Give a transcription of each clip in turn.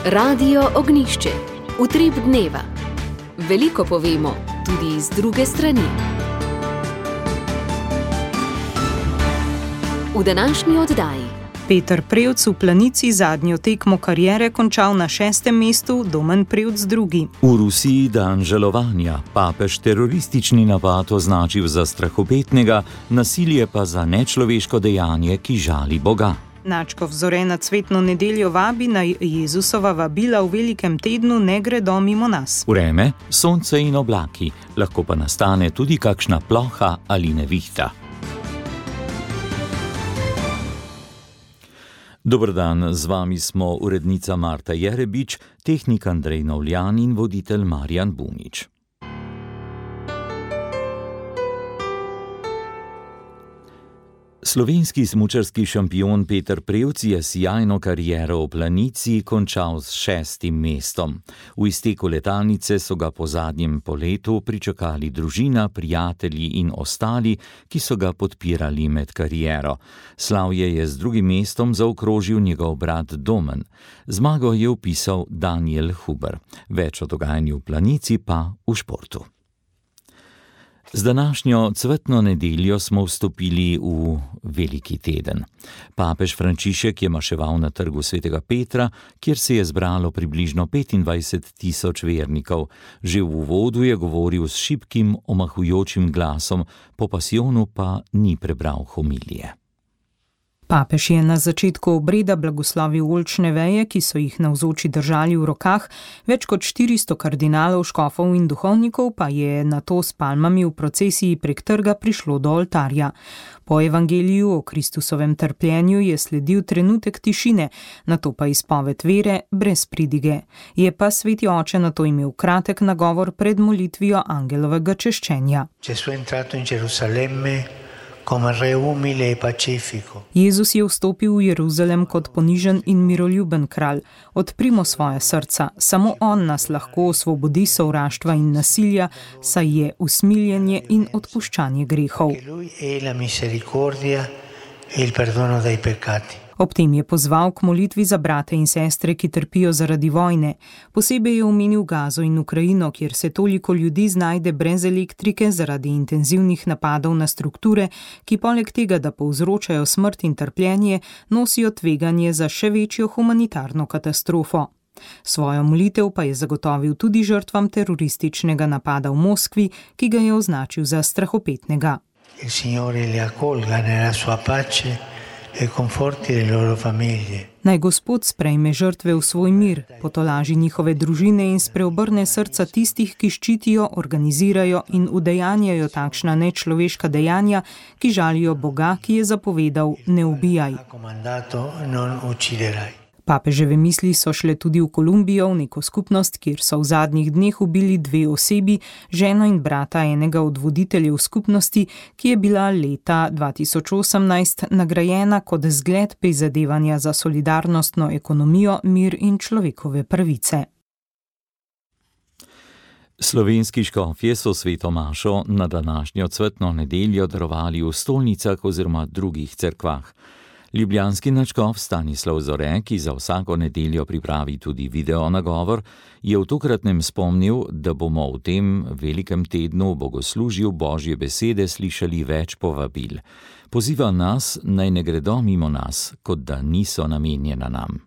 Radio Ognjišče. Utrip dneva. Veliko povemo, tudi iz druge strani. V današnji oddaji. Peter Prevc v Planici zadnjo tekmo kariere končal na 6. mestu, Domen Prevc drugi. V Rusiji dan žalovanja, papež teroristični napad označil za strahopetnega, nasilje pa za nečloveško dejanje, ki žali Boga. Načkov Zore na cvetno nedeljo vabi, naj Jezusova vabila v velikem tednu ne gredo mimo nas. Vreme, sonce in oblaki, lahko pa nastane tudi kakšna ploha ali nevihta. Dober dan, z vami smo urednica Marta Jerebič, tehnik Andrej Novljan in voditelj Marjan Bunič. Slovenski smučarski šampion Peter Prevc je sijajno kariero v Planici končal s 6. mestom. V izteku letalnice so ga po zadnjem poletu pričakali družina, prijatelji in ostali, ki so ga podpirali med kariero. Slavje je z 2. mestom zaokrožil njegov brat Domen. Zmago je vpisal Daniel Huber. Več o dogajanju v Planici pa v športu. Z današnjo cvetno nedeljo smo vstopili v veliki teden. Papež Frančišek je maševal na trgu Svetega Petra, kjer se je zbralo približno 25.000 vernikov. Že v uvodu je govoril s šibkim, omahujočim glasom, po pasijonu pa ni prebral homilije. Papež je na začetku obreda blagoslovil oljčne veje, ki so jih navzoči držali v rokah, več kot 400 kardinalov, škofov in duhovnikov pa je nato s palmami v procesiji prek trga prišlo do oltarja. Po evangeliju o Kristusovem trpljenju je sledil trenutek tišine, nato pa izpoved vere brez pridige. Je pa sveti oče nato imel kratek nagovor pred molitvijo angelovega češčenja. Jezus je vstopil v Jeruzalem kot ponižen in miroljuben kralj. Odprimo svoje srca, samo on nas lahko osvobodi sovraštva in nasilja, saj je usmiljenje in odpuščanje grehov. Ob tem je pozval k molitvi za brate in sestre, ki trpijo zaradi vojne. Posebej je omenil Gazo in Ukrajino, kjer se toliko ljudi znajde brez elektrike zaradi intenzivnih napadov na strukture, ki poleg tega, da povzročajo smrt in trpljenje, nosijo tveganje za še večjo humanitarno katastrofo. Svojo molitev pa je zagotovil tudi žrtvam terorističnega napada v Moskvi, ki ga je označil za strahopetnega. Il Signore li accolga nella sua pace e conforti le loro famiglie. Naj Gospod sprejme žrtve v svoj mir, potolaži njihove družine in spreobrne srca tistih, ki ščitijo, organizirajo in udejanjajo takšna nečloveška dejanja, ki žalijo Boga, ki je zapovedal: ne ubijaj. Papeževe misli so šle tudi v Kolumbijo, v neko skupnost, kjer so v zadnjih dneh ubili 2 osebi, ženo in brata enega od voditeljev skupnosti, ki je bila leta 2018 nagrajena kot zgled prizadevanja za solidarnostno ekonomijo, mir in človekove pravice. Slovenski škofje so sveto mašo na današnjo cvetno nedeljo darovali v stolnicah oziroma drugih cerkvah. Ljubljanski nadškof Stanislav Zore, ki za vsako nedeljo pripravi tudi video nagovor, je v tokratnem spomnil, da bomo v tem velikem tednu v bogoslužju Božje besede slišali več povabil. Poziva nas, naj ne gredo mimo nas, kot da niso namenjena nam.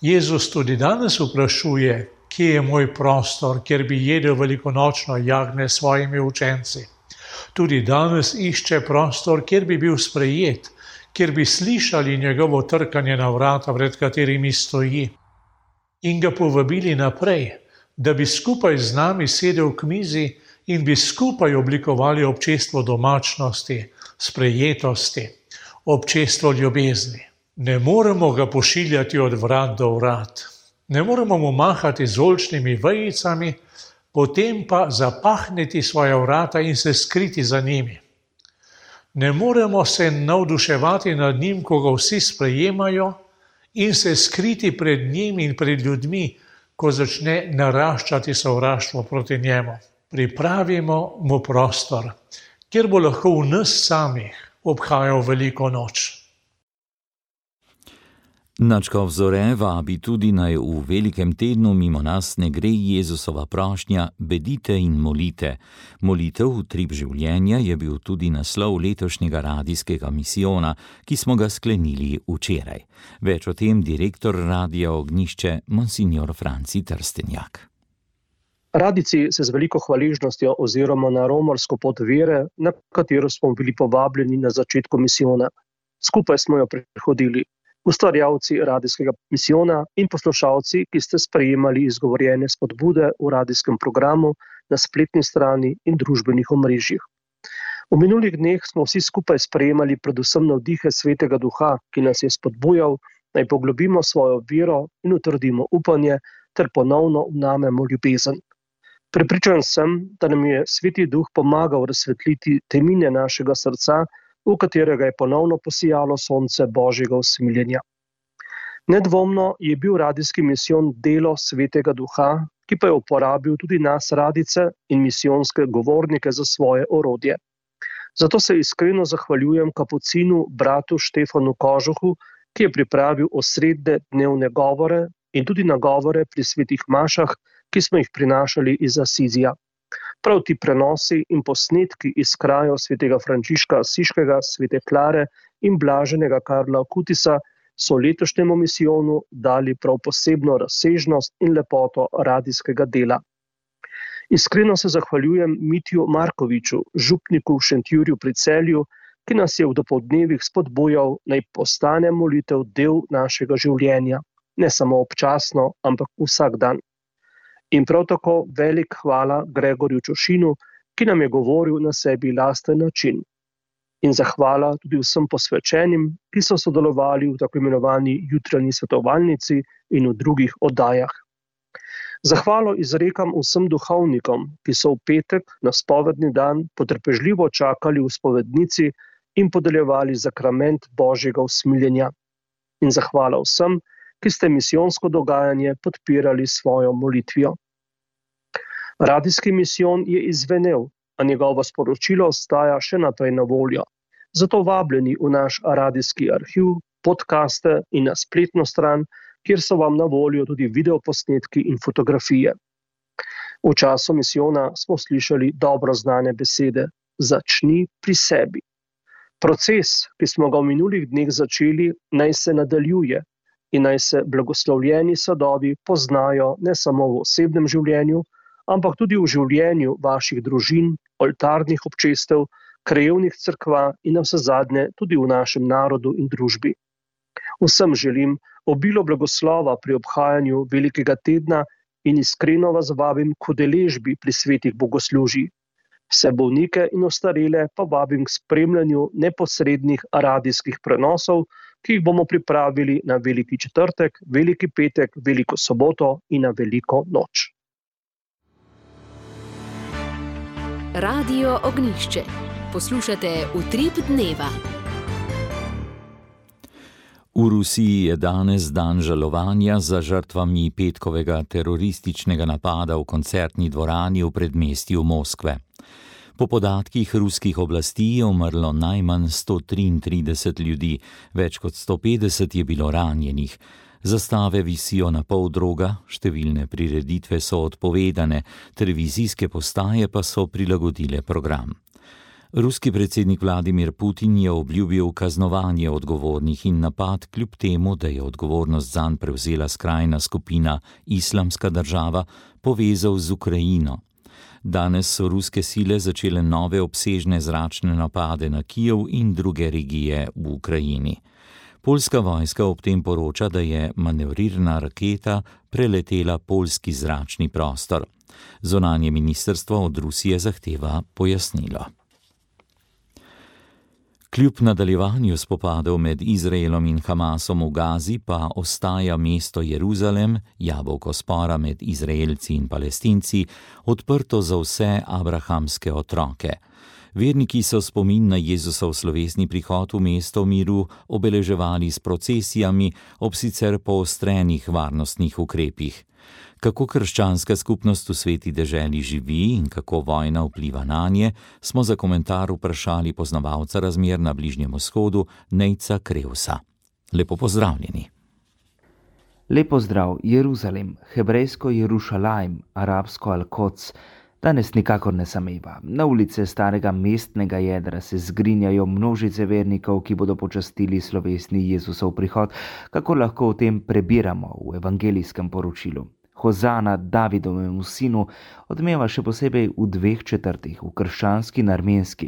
Jezus tudi danes vprašuje, kje je moj prostor, kjer bi jedel velikonočno jagnje s svojimi učenci. Tudi danes išče prostor, kjer bi bil sprejet, kjer bi slišali njegovo trkanje na vrata, pred katerimi stoji, in ga povabili naprej, da bi skupaj z nami sedel k mizi in bi skupaj oblikovali občestvo domačnosti, sprejetosti, občestvo ljubezni. Ne moremo ga pošiljati od vrat do vrat, ne moremo mu mahati z oljčnimi vejicami, potem pa zapahniti svoja vrata in se skriti za njimi. Ne moremo se navduševati nad njim, ko ga vsi sprejemajo, in se skriti pred njim in pred ljudmi, ko začne naraščati sovraštvo proti njemu. Pripravimo mu prostor, kjer bo lahko v nas samih obhajal veliko noč. Nadškof Zore vabi tudi, naj v velikem tednu mimo nas ne gre Jezusova prošnja: bedite in molite. Molitev utrip življenja je bil tudi naslov letošnjega radijskega misijona, ki smo ga sklenili včeraj. Več o tem direktor Radia Ognjišče, monsignor Franci Trstenjak. Radijci se z veliko hvaležnostjo oziroma na romarsko pot vere, na katero smo bili povabljeni na začetku misijona. Skupaj smo jo prehodili. Ustvarjalci radijskega misijona in poslušalci, ki ste sprejemali izgovorjene spodbude v radijskem programu, na spletni strani in družbenih omrežjih. V minulih dneh smo vsi skupaj sprejemali predvsem navdihe Svetega Duha, ki nas je spodbujal, naj poglobimo svojo vero in utrdimo upanje ter ponovno vnamemo ljubezen. Prepričan sem, da nam je Sveti Duh pomagal razsvetliti temine našega srca, v katerega je ponovno posijalo sonce Božjega usmiljenja. Nedvomno je bil radijski misijon delo Svetega Duha, ki pa je uporabil tudi nas radijce in misijonske govornike za svoje orodje. Zato se iskreno zahvaljujem kapucinu bratu Štefanu Kožuhu, ki je pripravil osrednje dnevne govore in tudi nagovore pri svetih mašah, ki smo jih prinašali iz Asizija. Prav ti prenosi in posnetki iz krajev svetega Frančiška Asiškega, svete Klare in blaženega Karla Kutisa so letošnjemu misijonu dali prav posebno razsežnost in lepoto radijskega dela. Iskreno se zahvaljujem Mitju Markoviču, župniku v Šentjurju pri Celju, ki nas je v dopoldnevih spodbujal, naj postane molitev del našega življenja, ne samo občasno, ampak vsak dan. In prav tako velik hvala Gregorju Čošinu, ki nam je govoril na sebi lasten način. In zahvala tudi vsem posvečenim, ki so sodelovali v tako imenovani jutranji svetovalnici in v drugih oddajah. Zahvalo izrekam vsem duhovnikom, ki so v petek na spovedni dan potrpežljivo čakali v spovednici in podeljevali zakrament Božjega usmiljenja. In zahvala vsem, ki ste misijonsko dogajanje podpirali svojo molitvijo. Radijski misijon je izvenel, a njegovo sporočilo ostaja še naprej na voljo. Zato vabljeni v naš radijski arhiv, podcaste in na spletno stran, kjer so vam na voljo tudi videoposnetki in fotografije. V času misijona smo slišali dobro znane besede: začni pri sebi. Proces, ki smo ga v minulih dneh začeli, naj se nadaljuje in naj se blagoslovljeni sadovi poznajo ne samo v osebnem življenju, ampak tudi v življenju vaših družin, oltarnih občestev, krajevnih cerkva in navsezadnje tudi v našem narodu in družbi. Vsem želim obilo blagoslova pri obhajanju velikega tedna in iskreno vas vabim k udeležbi pri svetih bogoslužjih. Vse bolnike in ostarele pa vabim k spremljanju neposrednih radijskih prenosov, ki jih bomo pripravili na Veliki četrtek, Veliki petek, Veliko soboto in na Veliko noč. Radio Ognjišče. Poslušate Utrip dneva. V Rusiji je danes dan žalovanja za žrtvami petkovega terorističnega napada v koncertni dvorani v predmestju Moskve. Po podatkih ruskih oblasti je umrlo najmanj 133 ljudi, več kot 150 je bilo ranjenih. Zastave visijo na pol droga, številne prireditve so odpovedane, televizijske postaje pa so prilagodile program. Ruski predsednik Vladimir Putin je obljubil kaznovanje odgovornih in napad, kljub temu, da je odgovornost zanj prevzela skrajna skupina Islamska država, povezal z Ukrajino. Danes so ruske sile začele nove obsežne zračne napade na Kijev in druge regije v Ukrajini. Poljska vojska ob tem poroča, da je manevrirna raketa preletela poljski zračni prostor. Zunanje ministrstvo od Rusije zahteva pojasnilo. Kljub nadaljevanju spopadov med Izraelom in Hamasom v Gazi pa ostaja mesto Jeruzalem, jabolko spora med Izraelci in Palestinci, odprto za vse abrahamske otroke. Verniki so spomin na Jezusov slovesni prihod v mesto miru obeleževali s procesijami ob sicer poostrenih varnostnih ukrepih. Kako krščanska skupnost v sveti deželi živi in kako vojna vpliva nanje, smo za komentar vprašali poznavalca razmer na Bližnjem vzhodu, Nejca Krevsa. Lepo pozdravljeni. Lepo zdrav, Jeruzalem, hebrejsko Jerušalajm, arabsko Al-Koc, danes nikakor ne sameva. Na ulice starega mestnega jedra se zgrinjajo množice vernikov, ki bodo počastili slovesni Jezusov prihod, kako lahko o tem prebiramo v evangelijskem poročilu. Hozana Davidovemu sinu odmeva še posebej v 2 četrtih, v krščanski in armenski.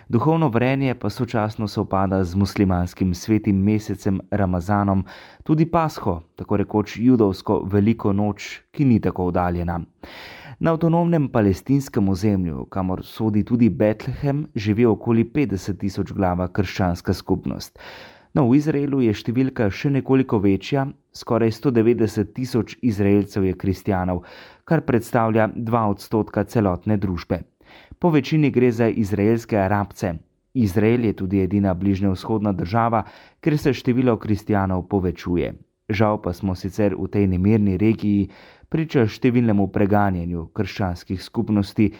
Duhovno vrenje pa sočasno sovpada z muslimanskim svetim mesecem Ramazanom, tudi Pasho, tako rekoč judovsko veliko noč, ki ni tako oddaljena. Na avtonomnem palestinskem ozemlju, kamor sodi tudi Betlehem, živi okoli 50.000 glava krščanska skupnost. No, v Izraelu je številka še nekoliko večja, skoraj 190.000 Izraelcev je kristjanov, kar predstavlja 2% celotne družbe. Po večini gre za izraelske Arabce. Izrael je tudi edina bližnjevzhodna država, kjer se število kristjanov povečuje. Žal pa smo sicer v tej nemirni regiji priča številnemu preganjanju krščanskih skupnosti,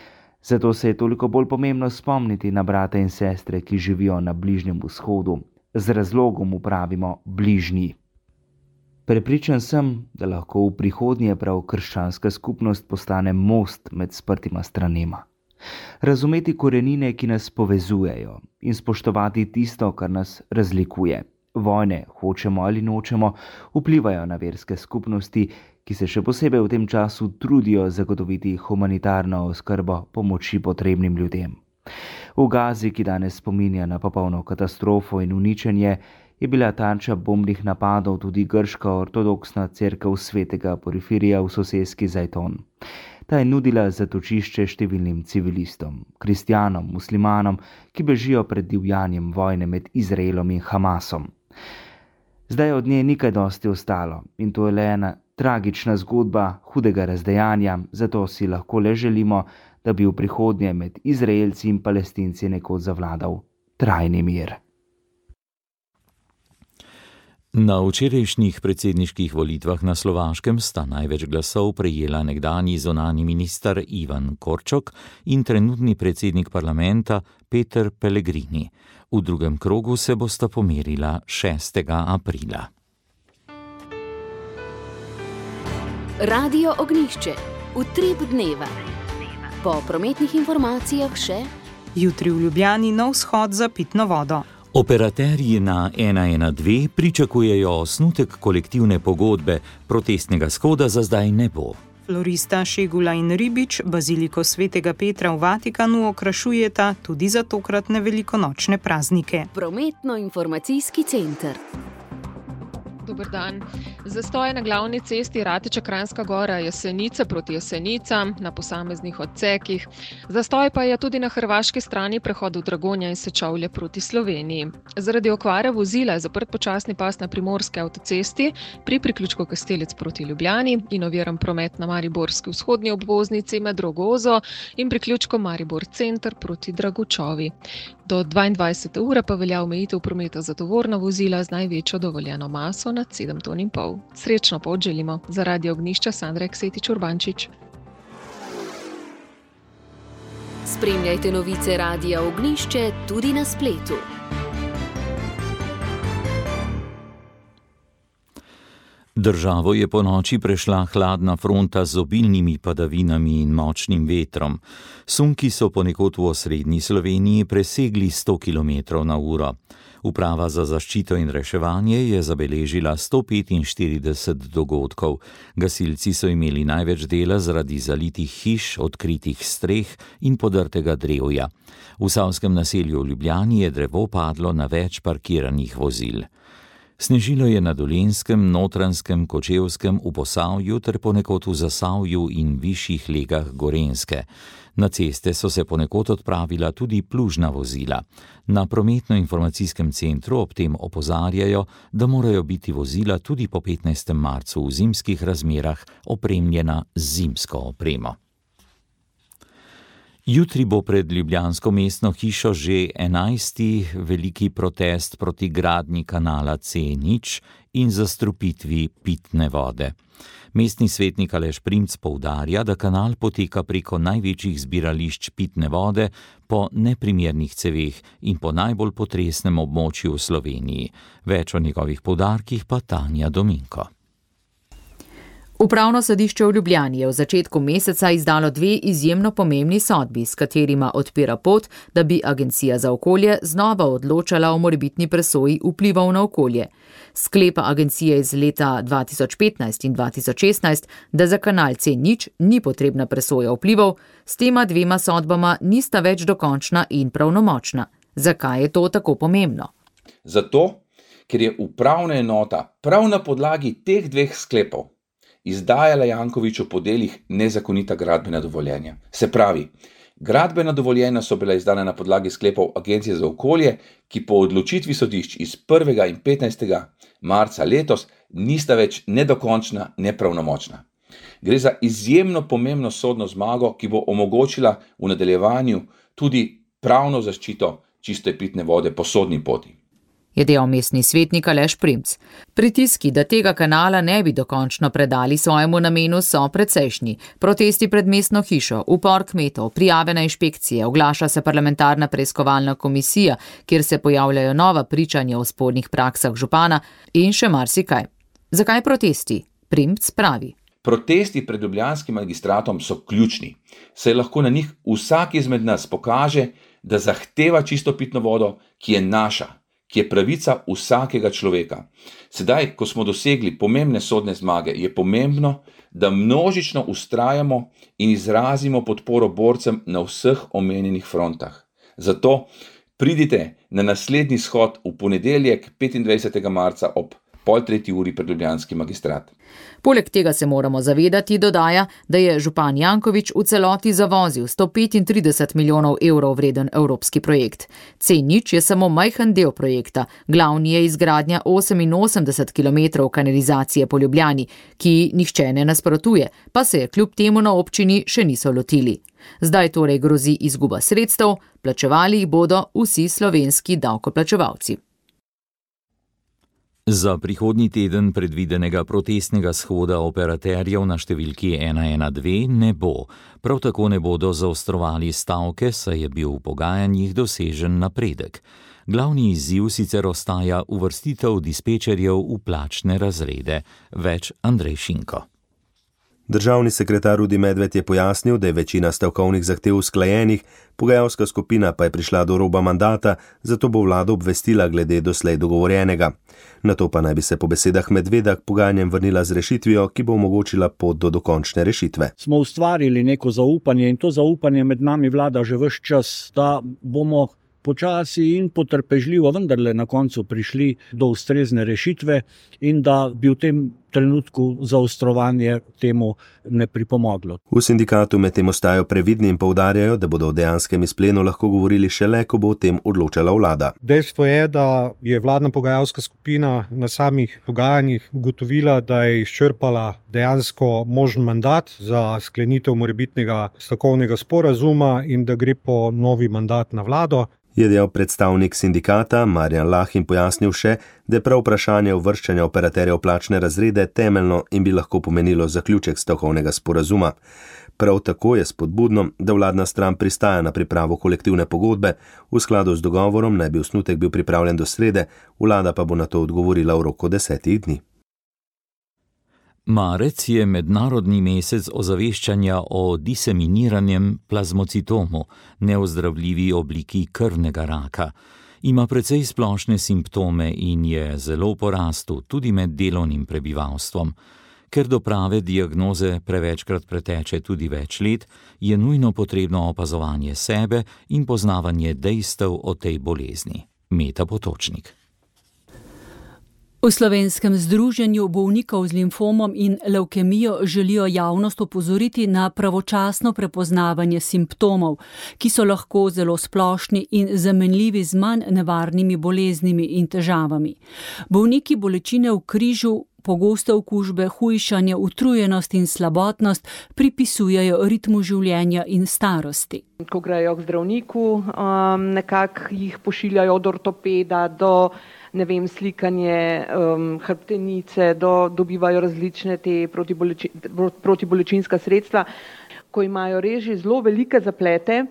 zato se je toliko bolj pomembno spomniti na brate in sestre, ki živijo na Bližnjem vzhodu. Z razlogom upravimo bližnji. Prepričan sem, da lahko v prihodnje prav krščanska skupnost postane most med sprtima stranema. Razumeti korenine, ki nas povezujejo, in spoštovati tisto, kar nas razlikuje. Vojne, hočemo ali nočemo, vplivajo na verske skupnosti, ki se še posebej v tem času trudijo zagotoviti humanitarno oskrbo pomoči potrebnim ljudem. V Gazi, ki danes spominja na popolno katastrofo in uničenje, je bila tarča bombnih napadov tudi grška ortodoksna cerkev svetega Porfirija v soseski Zajton. Ta je nudila zatočišče številnim civilistom, kristjanom, muslimanom, ki bežijo pred divjanjem vojne med Izraelom in Hamasom. Zdaj od nje ni kaj dosti ostalo in to je le ena tragična zgodba hudega razdejanja, zato si lahko le želimo, da bi v prihodnje med Izraelci in Palestinci nekoč zavladal trajni mir. Na včerajšnjih predsedniških volitvah na Slovaškem sta največ glasov prejela nekdanji zunanji minister Ivan Korčok in trenutni predsednik parlamenta Peter Pellegrini. V drugem krogu se bosta pomerila 6. aprila. Radio Ognjišče, utrip dneva. Po prometnih informacijah še: jutri v Ljubljani nov shod za pitno vodo. Operaterji na 112 pričakujejo osnutek kolektivne pogodbe, protestnega shoda za zdaj ne bo. Florista Šegula in Ribič baziliko svetega Petra v Vatikanu okrašujeta tudi za tokratne velikonočne praznike. Prometno-informacijski center. Dober dan. Zastoj na glavni cesti Rateča-Kranjska Gora Jesenice proti Jesenicam na posameznih odsekih. Zastoj pa je tudi na hrvaški strani prehodu Dragonja in Sečovlje proti Sloveniji. Zaradi okvare vozila je zaprt počasni pas na primorski avtocesti pri priključku Kastelec proti Ljubljani in oviran promet na mariborski vzhodni obvoznici med Rogozo in priključkom Maribor Center proti Dragučovi. Do 22. ure pa velja omejitev prometa za tovorna vozila z največjo dovoljeno maso nad 7,5 ton. Srečno pot želimo. Za Radio Ognjišča Sandra Eksetič-Urbančič. Spremljajte novice Radia Ognjišče tudi na spletu. Državo je ponoči prešla hladna fronta z obilnimi padavinami in močnim vetrom. Sunki so ponekod v osrednji Sloveniji presegli 100 km/h. Uprava za zaščito in reševanje je zabeležila 145 dogodkov. Gasilci so imeli največ dela zaradi zalitih hiš, odkritih streh in podrtega drevja. V Savskem naselju v Ljubljani je drevo padlo na več parkiranih vozil. Snežilo je na Dolenjskem, Notranjskem, Kočevskem, v Posavju ter ponekod v Zasavju in višjih legah Gorenjske. Na ceste so se ponekod odpravila tudi plužna vozila. Na prometno-informacijskem centru ob tem opozarjajo, da morajo biti vozila tudi po 15. marcu v zimskih razmerah opremljena z zimsko opremo. Jutri bo pred ljubljansko mestno hišo že 11. veliki protest proti gradnji kanala C0 in zastrupitvi pitne vode. Mestni svetnik Aleš Primc poudarja, da kanal poteka preko največjih zbirališč pitne vode po neprimernih ceveh in po najbolj potresnem območju v Sloveniji. Več o njegovih poudarkih pa Tanja Dominko. Upravno sodišče v Ljubljani je v začetku meseca izdalo 2 izjemno pomembni sodbi, s katerima odpira pot, da bi Agencija za okolje znova odločala o morebitni presoji vplivov na okolje. Sklepa agencije iz leta 2015 in 2016, da za kanal C0 ni potrebna presoja vplivov, s tema 2 sodbama nista več dokončna in pravnomočna. Zakaj je to tako pomembno? Zato, ker je upravna enota prav na podlagi teh 2 sklepov izdajala Jankoviću po delih nezakonita gradbena dovoljenja. Se pravi, gradbena dovoljenja so bila izdana na podlagi sklepov Agencije za okolje, ki po odločitvi sodišč iz 1. in 15. marca letos nista več nedokončna, nepravnomočna. Gre za izjemno pomembno sodno zmago, ki bo omogočila v nadaljevanju tudi pravno zaščito čiste pitne vode po sodni poti. Je dejal mestni svetnik Aleš Primc. Pritiski, da tega kanala ne bi dokončno predali svojemu namenu, so precejšnji. Protesti pred mestno hišo, upor kmetov, prijave na inšpekcije, oglaša se parlamentarna preiskovalna komisija, kjer se pojavljajo nova pričanja o spornih praksah župana in še marsikaj. Zakaj protesti? Primc pravi. Protesti pred ljubljanskim magistratom so ključni, saj lahko na njih vsak izmed nas pokaže, da zahteva čisto pitno vodo, ki je naša, ki je pravica vsakega človeka. Sedaj, ko smo dosegli pomembne sodne zmage, je pomembno, da množično vztrajamo in izrazimo podporo borcem na vseh omenjenih frontah. Zato pridite na naslednji shod v ponedeljek 25. marca ob 2:30 pred ljubljanski magistrat. Poleg tega se moramo zavedati, dodaja, da je župan Janković v celoti zavozil 135 milijonov evrov vreden evropski projekt. C0 je samo majhen del projekta, glavni je izgradnja 88 km kanalizacije po Ljubljani, ki nihče ne nasprotuje, pa se je kljub temu na občini še niso lotili. Zdaj torej grozi izguba sredstev, plačevali jih bodo vsi slovenski davkoplačevalci. Za prihodnji teden predvidenega protestnega shoda operaterjev na številki 112 ne bo. Prav tako ne bodo zaostrovali stavke, saj je bil v pogajanjih dosežen napredek. Glavni izziv sicer ostaja uvrstitev dispečerjev v plačne razrede. Več Andrej Šinko. Državni sekretar Rudi Medved je pojasnil, da je večina stavkovnih zahtev usklajenih, pogajalska skupina pa je prišla do roba mandata, zato bo vlada obvestila glede doslej dogovorjenega. Nato pa naj bi se po besedah Medveda k pogajanjem vrnila z rešitvijo, ki bo omogočila pot do dokončne rešitve. Smo ustvarili neko zaupanje in to zaupanje med nami vlada že ves čas, da bomo počasi in potrpežljivo vendarle na koncu prišli do ustrezne rešitve in da bi v tem trenutku zaostrovanje temu ne pripomoglo. V sindikatu med tem ostajajo previdni in poudarjajo, da bodo o dejanskem izplenu lahko govorili šele, ko bo o tem odločala vlada. Dejstvo je, da je vladna pogajalska skupina na samih pogajanjih ugotovila, da je izčrpala dejansko možen mandat za sklenitev morebitnega stavkovnega sporazuma in da gre po novi mandat na vlado. Je dejal predstavnik sindikata Marjan Lah in pojasnil še, da je prav vprašanje uvrščanja operaterjev plačne razrede temeljno in bi lahko pomenilo zaključek stavkovnega sporazuma. Prav tako je spodbudno, da vladna stran pristaja na pripravo kolektivne pogodbe, v skladu z dogovorom naj bi osnutek bil pripravljen do srede, vlada pa bo na to odgovorila v roku 10 dni. Marec je mednarodni mesec ozaveščanja o diseminiranem plazmocitomu, neozdravljivi obliki krvnega raka. Ima precej splošne simptome in je zelo v porastu tudi med delovnim prebivalstvom. Ker do prave diagnoze prevečkrat preteče tudi več let, je nujno potrebno opazovanje sebe in poznavanje dejstev o tej bolezni. Meta Potočnik. V Slovenskem združenju bolnikov z limfomom in levkemijo želijo javnost opozoriti na pravočasno prepoznavanje simptomov, ki so lahko zelo splošni in zamenljivi z manj nevarnimi boleznimi in težavami. Bolniki bolečine v križu, pogoste okužbe, hujšanje, utrujenost in slabotnost pripisujejo ritmu življenja in starosti. Ko grejo k zdravniku, nekako jih pošiljajo od ortopeda do slikanje hrbtenice, dobivajo različne te protibolečinska sredstva. Ko imajo res že zelo velike zaplete,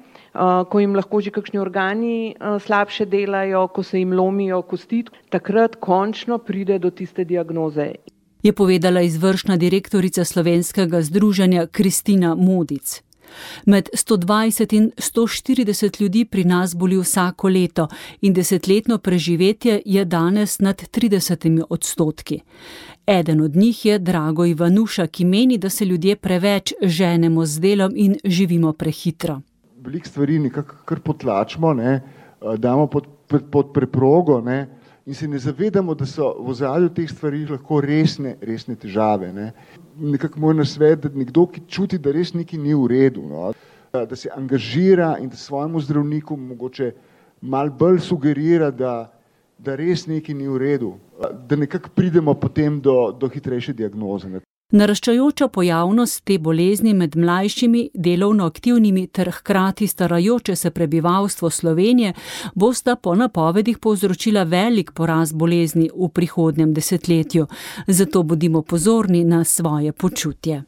ko jim lahko že kakšni organi slabše delajo, ko se jim lomijo kosti, takrat končno pride do tiste diagnoze. je povedala izvršna direktorica Slovenskega združenja Kristina Modic. Med 120 in 140 ljudi pri nas boli vsako leto in 10-letno preživetje je danes nad 30%. Eden od njih je Drago Ivanuša, ki meni, da se ljudje preveč ženemo z delom in živimo prehitro. Veliko stvari nekako kar potlačimo, damo pod preprogo, in se ne zavedamo, da so v ozadju teh stvari lahko resne težave. Nekako moj nasvet, da nekdo, ki čuti, da res nekaj ni v redu, da se angažira in da svojemu zdravniku mogoče malo bolj sugerira, da res nekaj ni v redu, da nekako pridemo potem do hitrejše diagnoze. Naraščajoča pojavnost te bolezni med mlajšimi, delovno aktivnimi ter hkrati starajoče se prebivalstvo Slovenije bosta po napovedih povzročila velik porast bolezni v prihodnjem desetletju. Zato bodimo pozorni na svoje počutje.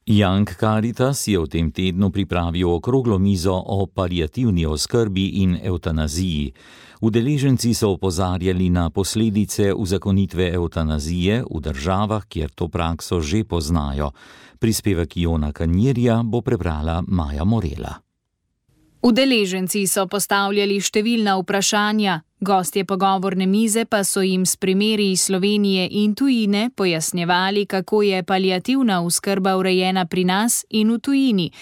Young Caritas je v tem tednu pripravil okroglo mizo o paliativni oskrbi in evtanaziji. Udeleženci so opozarjali na posledice uzakonitve evtanazije v državah, kjer to prakso že poznajo. Prispevek Jona Kanjerja bo prebrala Maja Morela. Udeleženci so postavljali številna vprašanja, gostje pogovorne mize pa so jim s primeri iz Slovenije in tujine pojasnjevali, kako je paliativna oskrba urejena pri nas in v tujini,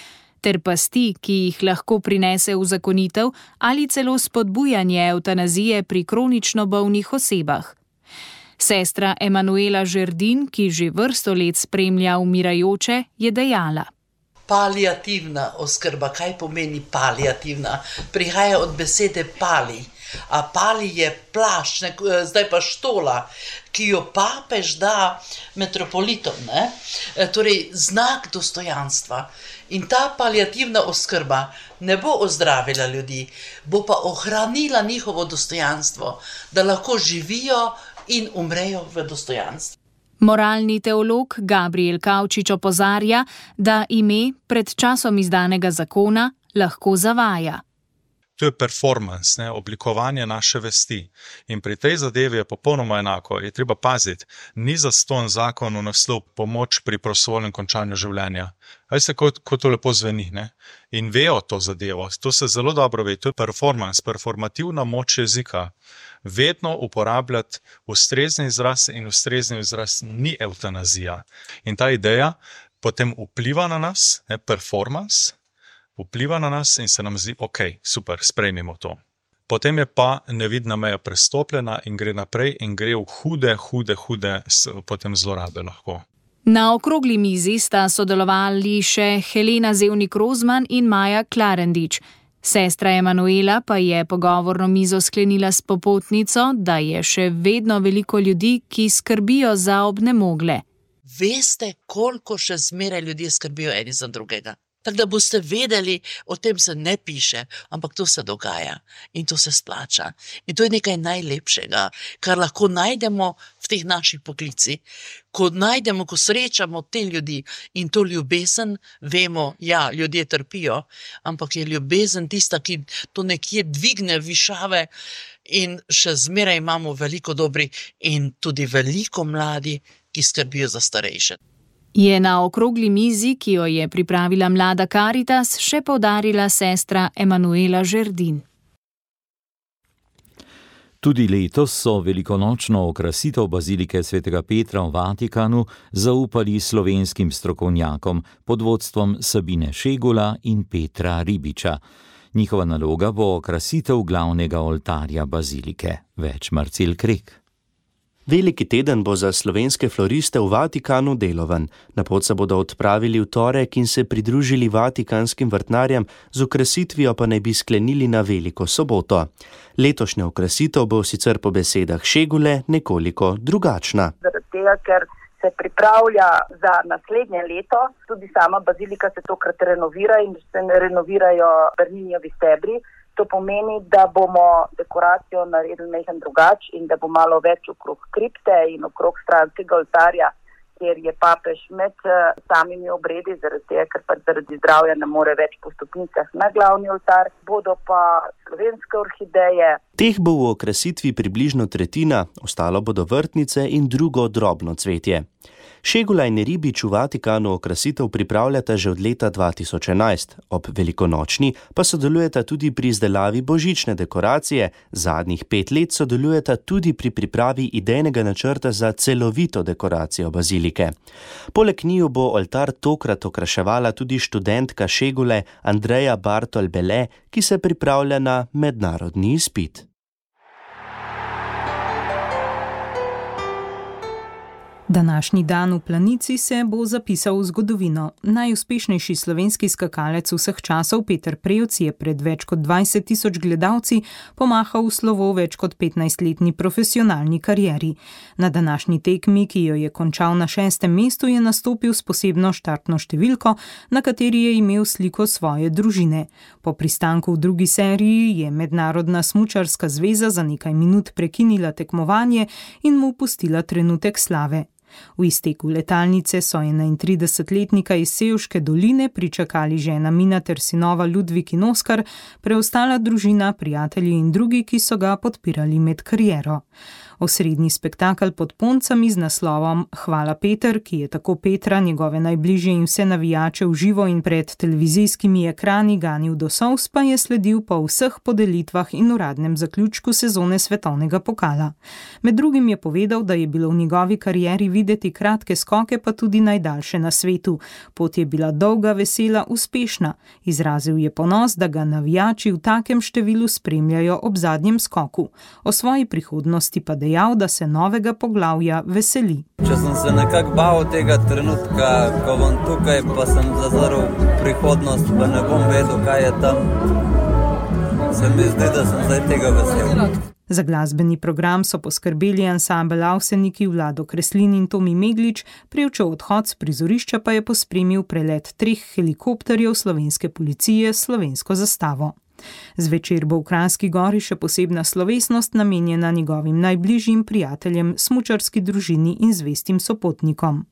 ter pasti, ki jih lahko prinese uzakonitev ali celo spodbujanje evtanazije pri kronično bolnih osebah. Sestra Emanuela Žerdin, ki že vrsto let spremlja umirajoče, je dejala: Paliativna oskrba, kaj pomeni paliativna? Prihaja od besede pali. A pali je plašč, zdaj pa štola, ki jo papež da metropolitom, torej znak dostojanstva. In ta paliativna oskrba ne bo ozdravila ljudi, bo pa ohranila njihovo dostojanstvo, da lahko živijo in umrejo v dostojanstvu. Moralni teolog Gabriel Kavčič opozarja, da ime pred časom izdanega zakona lahko zavaja. To je performance, oblikovanje naše vesti. In pri tej zadevi je popolnoma enako. Je treba paziti, ni zastonj zakon v naslov pomoč pri prostovoljnem končanju življenja. Veste, kako to lepo zveni, In vejo to zadevo, to se zelo dobro ve, to je performance, performativna moč jezika. Vedno uporabljati ustrezni izraz in ustrezni izraz ni evtanazija. In ta ideja potem vpliva na nas, performance, vpliva na nas in se nam zdi, ok, super, sprejmimo to. Potem je pa nevidna meja prestopljena in gre naprej in gre v hude potem zlorabe lahko. Na okrogli mizi sta sodelovali še Helena Zevnik-Rozman in Maja Klarendič. Sestra Emanuela pa je pogovorno mizo sklenila s popotnico, da je še vedno veliko ljudi, ki skrbijo za obnemogle. Veste, koliko še zmeraj ljudje skrbijo eni za drugega. Tako da boste vedeli, o tem se ne piše, ampak to se dogaja in to se splača. In to je nekaj najlepšega, kar lahko najdemo v teh naših poklicih. Ko srečamo te ljudi in to ljubezen, vemo, ja, ljudje trpijo, ampak je ljubezen tista, ki to nekje dvigne višave in še zmeraj imamo veliko dobrih in tudi veliko mladi, ki skrbijo za starejše. Je na okrogli mizi, ki jo je pripravila Mlada Caritas, še poudarila sestra Emanuela Žerdin. Tudi letos so velikonočno okrasitev bazilike svetega Petra v Vatikanu zaupali slovenskim strokovnjakom pod vodstvom Sabine Šegula in Petra Ribiča. Njihova naloga bo okrasitev glavnega oltarja bazilike. Več Marcel Krek. Veliki teden bo za slovenske floriste v Vatikanu deloven. Na pot se bodo odpravili v torek in se pridružili vatikanskim vrtnarjem, z okrasitvijo pa naj bi sklenili na Veliko soboto. Letošnja okrasitev bo sicer po besedah Šegule nekoliko drugačna. Zaradi tega, ker se pripravlja za naslednje leto, tudi sama bazilika se tokrat renovira in se renovirajo Berninijevi stebri. To pomeni, da bomo dekoracijo naredili nekaj drugače in da bo malo več okrog kripte in okrog stranskega oltarja kjer je papež med samimi obredi, zaradi tega, ker pa zaradi zdravja ne more več po stopnicah na glavni oltar, bodo pa slovenske orhideje. Teh bo v okrasitvi približno tretjina, ostalo bodo vrtnice in drugo drobno cvetje. Šegula in Ribič v Vatikanu okrasitev pripravljata že od leta 2011, ob velikonočni pa sodelujeta tudi pri izdelavi božične dekoracije, zadnjih 5 let sodelujeta tudi pri pripravi idejnega načrta za celovito dekoracijo bazilike. Poleg njiju bo oltar tokrat okraševala tudi študentka Šegule Andreja Bartol-Bele, ki se pripravlja na mednarodni izpit. Današnji dan v Planici se bo zapisal v zgodovino. Najuspešnejši slovenski skakalec vseh časov Peter Prevc je pred več kot 20 tisoč gledalci pomahal v slovo več kot 15-letni profesionalni karieri. Na današnji tekmi, ki jo je končal na 6. mestu, je nastopil s posebno štartno številko, na kateri je imel sliko svoje družine. Po pristanku v drugi seriji je Mednarodna smučarska zveza za nekaj minut prekinila tekmovanje in mu pustila trenutek slave. V izteku letalnice so 31-letnika iz Sevške doline pričakali žena Mina ter sinova Ludvik in Oskar, preostala družina, prijatelji in drugi, ki so ga podpirali med kariero. Osrednji spektakel pod Poncami z naslovom Hvala Peter, ki je tako Petra, njegove najbližje in vse navijače v živo in pred televizijskimi ekrani ganil do solz, pa je sledil po vseh podelitvah in uradnem zaključku sezone svetovnega pokala. Med drugim je povedal, da je bilo v njegovi karieri videti kratke skoke, pa tudi najdaljše na svetu. Pot je bila dolga, vesela, uspešna. Izrazil je ponos, da ga navijači v takem številu spremljajo ob zadnjem skoku. O svoji prihodnosti pa dejal, da se novega poglavja veseli. Če sem se nekako bal tega trenutka, ko bom tukaj, pa sem zazrl prihodnost, pa ne bom vedel, kaj je tam. Se mi zdi, da sem zdaj tega vesel. Za glasbeni program so poskrbeli ansambel Avseniki, Vlado Kreslin in Tomi Meglič, Prevčev odhod s prizorišča pa je pospremil prelet 3 helikopterjev slovenske policije s slovensko zastavo. Zvečer bo v Kranjski Gori še posebna slovesnost namenjena njegovim najbližjim prijateljem, smučarski družini in zvestim sopotnikom.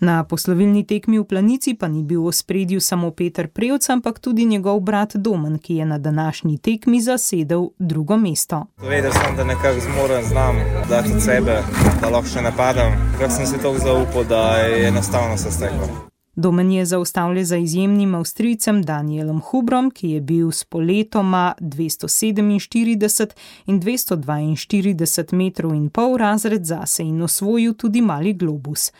Na poslovilni tekmi v Planici pa ni bil v ospredju samo Peter Prevc, ampak tudi njegov brat Domen, ki je na današnji tekmi zasedel drugo mesto. Vedel sem, da nekako zmorem, znam dati od sebe, da lahko še napadam. Kar sem si toliko zaupal, da je enostavno se steklo. Domen je zaostal za izjemnim Avstrijcem Danielom Hubrom, ki je bil s poletoma 247 in 242 metrov in pol razred zase in osvojil tudi mali globus.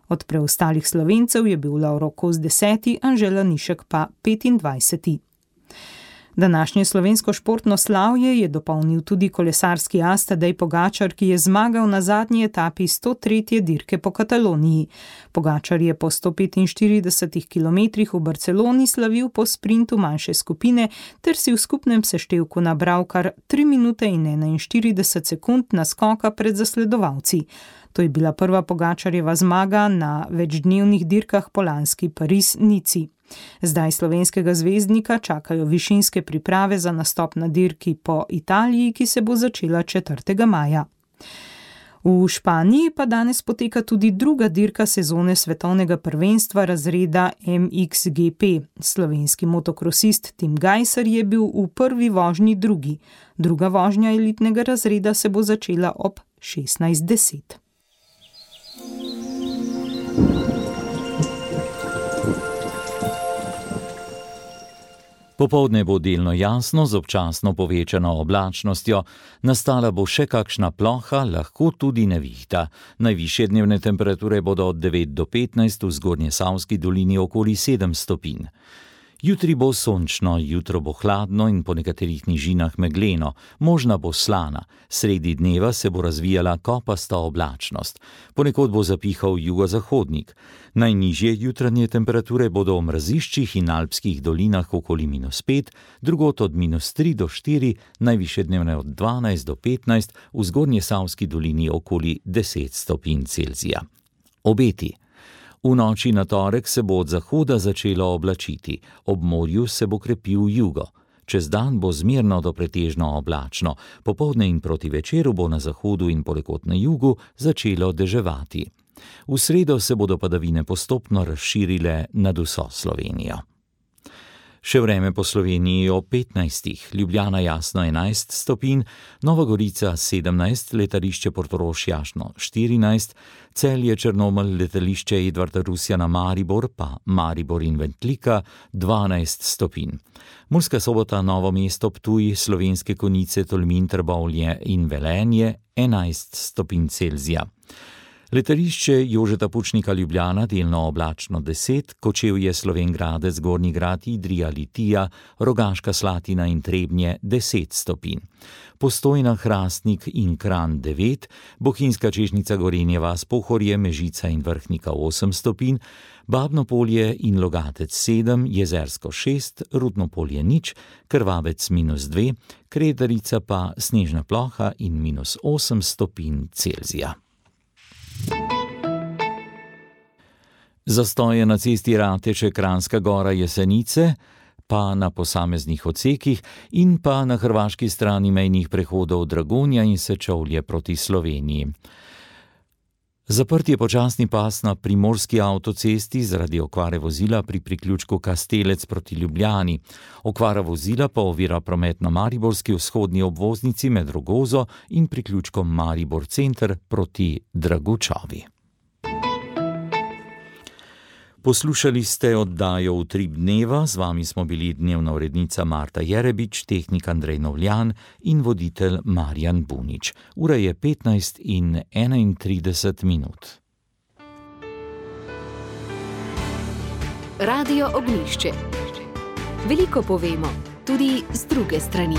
Od preostalih Slovencev je bil Lovro Kos 10., Anžela Nišek pa 25. Današnje slovensko športno slavje je dopolnil tudi kolesarski as Tadej Pogačar, ki je zmagal na zadnji etapi 103. dirke po Kataloniji. Pogačar je po 145 kilometrih v Barceloni slavil po sprintu manjše skupine ter si v skupnem seštevku nabral kar 3 minute in 41 sekund naskoka pred zasledovalci. To je bila prva Pogačarjeva zmaga na večdnevnih dirkah po lanski Pariz-Nici. Zdaj slovenskega zvezdnika čakajo višinske priprave za nastop na dirki po Italiji, ki se bo začela 4. maja. V Španiji pa danes poteka tudi druga dirka sezone svetovnega prvenstva razreda MXGP. Slovenski motokrosist Tim Gajser je bil v prvi vožnji drugi. Druga vožnja elitnega razreda se bo začela ob 16:10. Popoldne bo delno jasno z občasno povečano oblačnostjo, nastala bo še kakšna ploha, lahko tudi nevihta. Najvišje dnevne temperature bodo od 9 do 15, v Zgornjesavski dolini okoli 7 stopinj. Jutri bo sončno, jutro bo hladno in po nekaterih nižinah megleno, možna bo slana. Sredi dneva se bo razvijala kopasta oblačnost. Ponekod bo zapihal jugozahodnik. Najnižje jutranje temperature bodo v mraziščih in alpskih dolinah okoli -5, drugod od -3 do 4, najvišje dnevne od 12 do 15, v Zgornjesavski dolini okoli 10 stopinj Celzija. Obeti. V noči na torek se bo od zahoda začelo oblačiti, ob morju se bo krepil jugo. Čez dan bo zmerno do pretežno oblačno, popoldne in proti večeru bo na zahodu in ponekod na jugu začelo deževati. V sredo se bodo padavine postopno razširile nad vso Slovenijo. Še vreme po Sloveniji o 15, Ljubljana jasno 11 stopinj, Nova Gorica 17, letališče Portorož jasno 14, Celje Črnomelj, letališče Edvarda Rusjana Maribor, pa Maribor in Ventlika 12 stopinj. Murska Sobota, Novo mesto, Ptuj, Slovenske Konjice, Tolmin, Trbovlje in Velenje 11 stopinj Celzija. Letališče Jožeta Pučnika Ljubljana delno oblačno 10, Kočevje, Slovenj Gradec, Gornji Grad, Idrija, Litija, Rogaška Slatina in Trebnje 10 stopinj. Postojna, Hrastnik in Kranj 9, Bohinjska Čežnica, Gorenje vas, Pohorje, Mežica in Vrhnika 8 stopinj, Babno Polje in Logatec 7, Jezersko 6, Rudno Polje 0, Krvavec -2, Kredarica pa snežna ploha in -8 stopinj Celzija. Zastoje na cesti Rateče-Kranjska Gora-Jesenice, pa na posameznih odsekih in pa na hrvaški strani mejnih prehodov Dragonja in Sečovlje proti Sloveniji. Zaprt je počasni pas na primorski avtocesti zaradi okvare vozila pri priključku Kastelec proti Ljubljani. Okvara vozila pa ovira promet na mariborski vzhodni obvoznici med Rogozo in priključkom Maribor Center proti Dragučavi. Poslušali ste oddajo Utrip dneva, z vami smo bili dnevna urednica Marta Jerebič, tehnik Andrej Novljan in voditelj Marjan Bunič. Ura je 15:31. Radio Ognjišče. Veliko povemo, tudi z druge strani.